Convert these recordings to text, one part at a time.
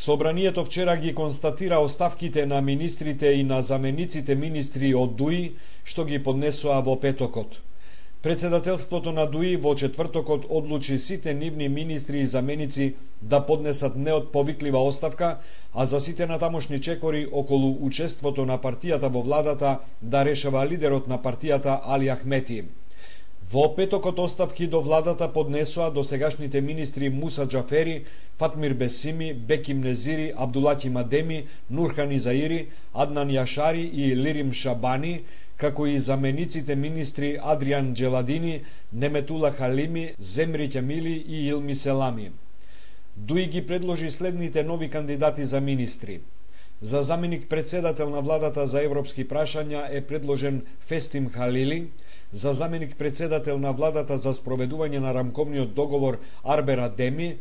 Собранието вчера ги констатира оставките на министрите и на замениците министри од ДУИ, што ги поднесоа во петокот. Председателството на ДУИ во четвртокот одлучи сите нивни министри и заменици да поднесат неотповиклива оставка, а за сите натамошни чекори околу учеството на партијата во владата да решава лидерот на партијата Али Ахмети. Во петокот оставки до владата поднесоа досегашните министри Муса Џафери, Фатмир Бесими, Беким Незири, Абдулаки Мадеми, Нурхан Заири, Аднан Јашари и Лирим Шабани, како и замениците министри Адриан Джеладини, Неметула Халими, Земри Ќамили и Илми Селами. ДУИ ги предложи следните нови кандидати за министри. За заменик председател на владата за европски прашања е предложен Фестим Халили, за заменик председател на владата за спроведување на рамковниот договор Арбер Адеми,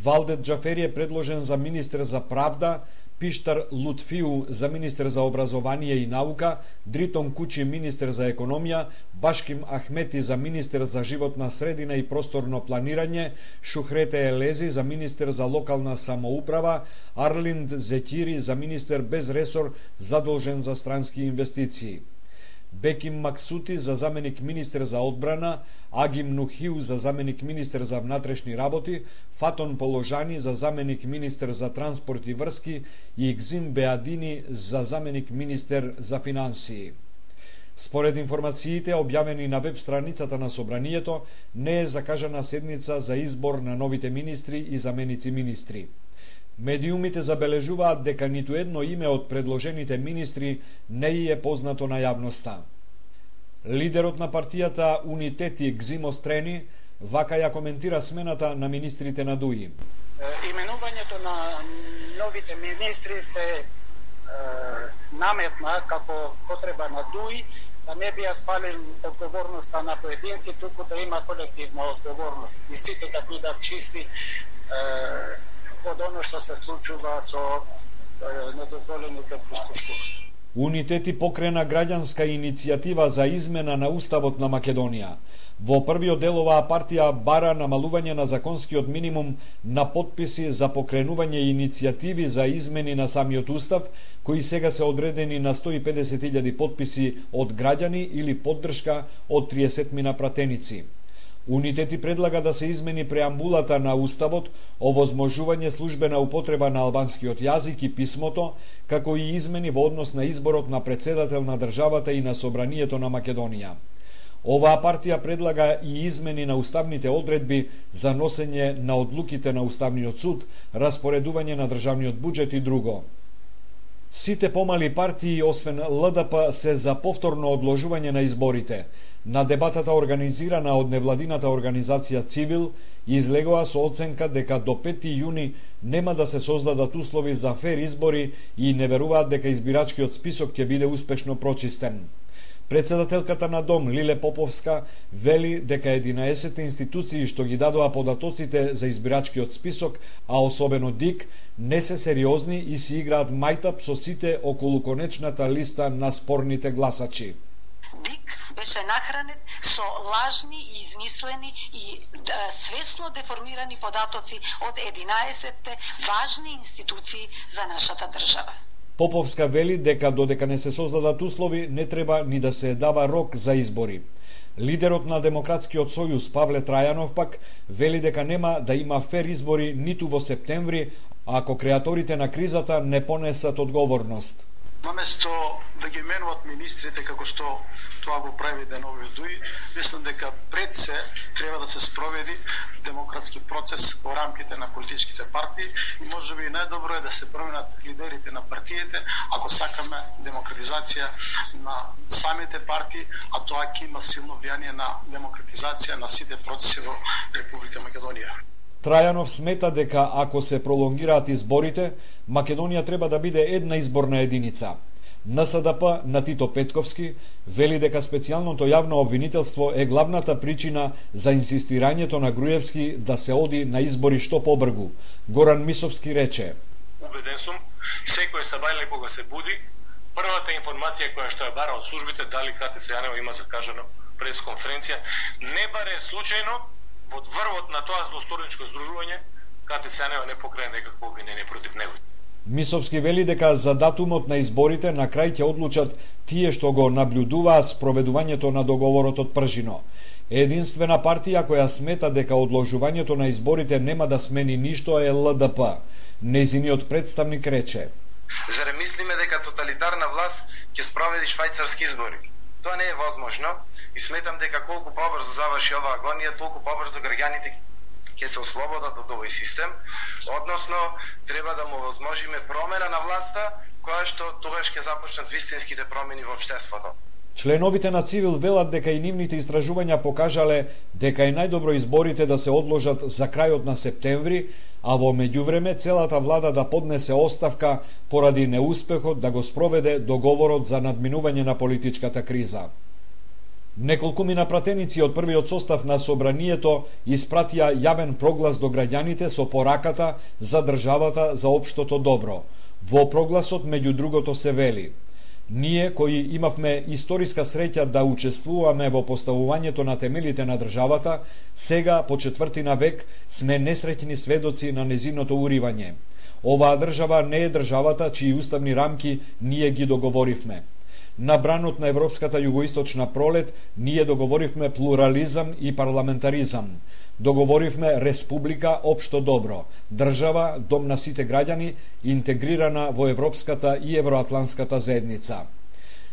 Валдет Џафери е предложен за министер за правда, Пиштар Лутфиу за министер за образование и наука, Дритон Кучи министер за економија, Башким Ахмети за министер за животна средина и просторно планирање, Шухрете Елези за министер за локална самоуправа, Арлинд Зекири за министер без ресор задолжен за странски инвестиции. Беким Максути за заменик министер за одбрана, Агим Нухиу за заменик министер за внатрешни работи, Фатон Положани за заменик министер за транспорт и врски и Игзим Беадини за заменик министер за финансии. Според информациите објавени на веб страницата на Собранието, не е закажана седница за избор на новите министри и заменици министри. Медиумите забележуваат дека ниту едно име од предложените министри не е познато на јавноста. Лидерот на партијата Унитети Гзимо Стрени вака ја коментира смената на министрите на ДУИ. Именувањето на новите министри се наметна како потреба на ДУИ, да не би ја свалил одговорноста на поединци, туку да има колективна одговорност и сите да бидат чисти од оно што се случува со недозволените прислушкувања. Унитети покрена граѓанска иницијатива за измена на Уставот на Македонија. Во првиот дел оваа партија бара намалување на законскиот минимум на потписи за покренување иницијативи за измени на самиот Устав, кои сега се одредени на 150.000 потписи од граѓани или поддршка од 30 пратеници. Унитети предлага да се измени преамбулата на Уставот, овозможување службена употреба на албанскиот јазик и писмото, како и измени во однос на изборот на председател на државата и на Собранието на Македонија. Оваа партија предлага и измени на уставните одредби за носење на одлуките на Уставниот суд, распоредување на државниот буџет и друго. Сите помали партии, освен ЛДП, се за повторно одложување на изборите. На дебатата организирана од невладината организација Цивил, излегоа со оценка дека до 5 јуни нема да се создадат услови за фер избори и не веруваат дека избирачкиот список ќе биде успешно прочистен. Председателката на Дом, Лиле Поповска, вели дека 11 институции што ги дадоа податоците за избирачкиот список, а особено ДИК, не се сериозни и си играат мајтап со сите околу конечната листа на спорните гласачи. ДИК беше нахранет со лажни и измислени и свесно деформирани податоци од 11 важни институции за нашата држава. Поповска вели дека додека не се создадат услови, не треба ни да се дава рок за избори. Лидерот на Демократскиот сојуз Павле Трајанов пак вели дека нема да има фер избори ниту во септември, ако креаторите на кризата не понесат одговорност. Наместо да ги менуват министрите како што тоа го прави деновиот ДУИ, мислам дека пред се треба да се спроведи демократски процес во рамките на политичките партии и можеби најдобро е да се променат лидерите на партиите ако сакаме демократизација на самите партии, а тоа ќе има силно влијание на демократизација на сите процеси во Република Македонија. Трајанов смета дека ако се пролонгираат изборите, Македонија треба да биде една изборна единица. НСДП на Тито Петковски вели дека специјалното јавно обвинителство е главната причина за инсистирањето на Груевски да се оди на избори што побргу. Горан Мисовски рече: Убеден сум, секој сабајле кога се буди, првата информација која што ја бара од службите дали КТС Јанево има закажано пресконференција, не баре случајно во врвот на тоа злосторничко здружување КТС Јанево не покрае некакво обвинение против него. Мисовски вели дека за датумот на изборите на крај ќе одлучат тие што го наблюдуваат спроведувањето на договорот од Пржино. Единствена партија која смета дека одложувањето на изборите нема да смени ништо е ЛДП. Нејзиниот представник рече: Зарем мислиме дека тоталитарна власт ќе спроведи швајцарски избори? Тоа не е возможно и сметам дека колку побрзо заврши оваа агонија, толку побрзо граѓаните ќе се ослободат од овој систем, односно треба да му возможиме промена на власта, која што тогаш ќе започнат вистинските промени во општеството. Членовите на Цивил велат дека и нивните истражувања покажале дека е најдобро изборите да се одложат за крајот на септември, а во меѓувреме целата влада да поднесе оставка поради неуспехот да го спроведе договорот за надминување на политичката криза. Неколкумина пратеници од првиот состав на собранието испратија јавен проглас до граѓаните со пораката за државата за општото добро. Во прогласот меѓу другото се вели: Ние кои имавме историска среќа да учествуваме во поставувањето на темелите на државата, сега по четвртина век сме несреќни сведоци на незиното уривање. Оваа држава не е државата чии уставни рамки ние ги договоривме. На бранот на европската југоисточна пролет ние договоривме плурализам и парламентаризам. Договоривме республика општо добро, држава дом на сите граѓани, интегрирана во европската и евроатланската заедница.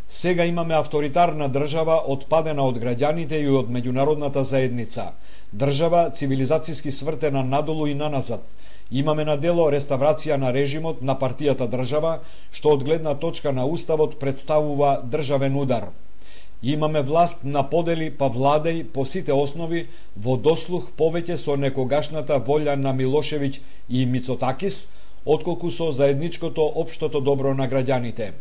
Сега имаме авторитарна држава отпадена од граѓаните и од меѓународната заедница. Држава цивилизацијски свртена надолу и наназад. Имаме на дело реставрација на режимот на партијата држава, што од гледна точка на уставот представува државен удар. Имаме власт на подели па владеј по сите основи во дослух повеќе со некогашната волја на Милошевиќ и Мицотакис, отколку со заедничкото општото добро на граѓаните.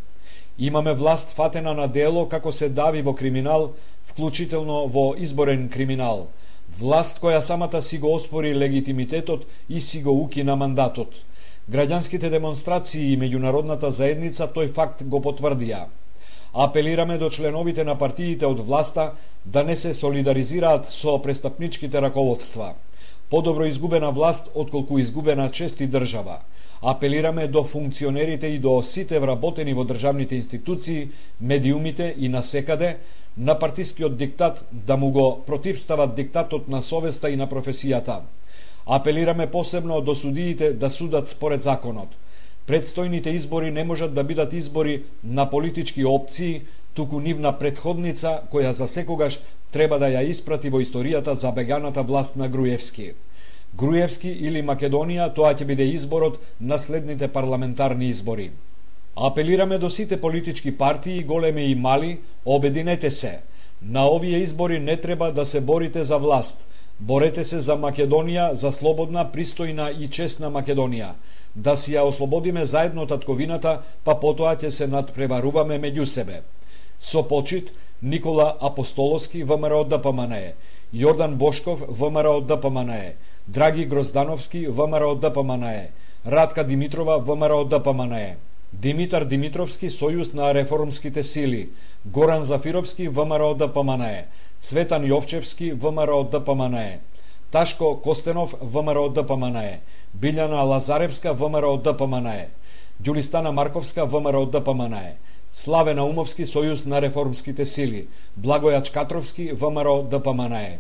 Имаме власт фатена на дело како се дави во криминал, вклучително во изборен криминал. Власт која самата си го оспори легитимитетот и си го укина мандатот. Граѓанските демонстрации и меѓународната заедница тој факт го потврдија. Апелираме до членовите на партиите од власта да не се солидаризираат со престапничките раководства. Подобро изгубена власт отколку изгубена чест и држава. Апелираме до функционерите и до сите вработени во државните институции, медиумите и насекаде на партискиот диктат да му го противстават диктатот на совеста и на професијата. Апелираме посебно до судиите да судат според законот. Предстојните избори не можат да бидат избори на политички опции, туку нивна претходница која за секогаш треба да ја испрати во историјата забеганата власт на Груевски. Груевски или Македонија, тоа ќе биде изборот на следните парламентарни избори. Апелираме до сите политички партии, големи и мали, обединете се. На овие избори не треба да се борите за власт. Борете се за Македонија, за слободна, пристојна и честна Македонија. Да си ја ослободиме заедно татковината, па потоа ќе се надпреваруваме меѓу себе. Со почит, Никола Апостоловски, ВМРО ДПМНЕ, Јордан Бошков, ВМРО ДПМНЕ, Драги Гроздановски, ВМРО ДПМНЕ, Радка Димитрова, ВМРО ДПМНЕ, Димитар Димитровски, Сојуз на реформските сили, Горан Зафировски, ВМРО ДПМНЕ, Цветан Јовчевски, ВМРО ДПМНЕ, Ташко Костенов, ВМРО ДПМНЕ, Билјана Лазаревска, ВМРО ДПМНЕ, Ѓулистана Марковска, ВМРО ДПМНЕ, Славе Наумовски, Сојуз на реформските сили, Благоја Чкатровски, ВМРО ДПМНЕ.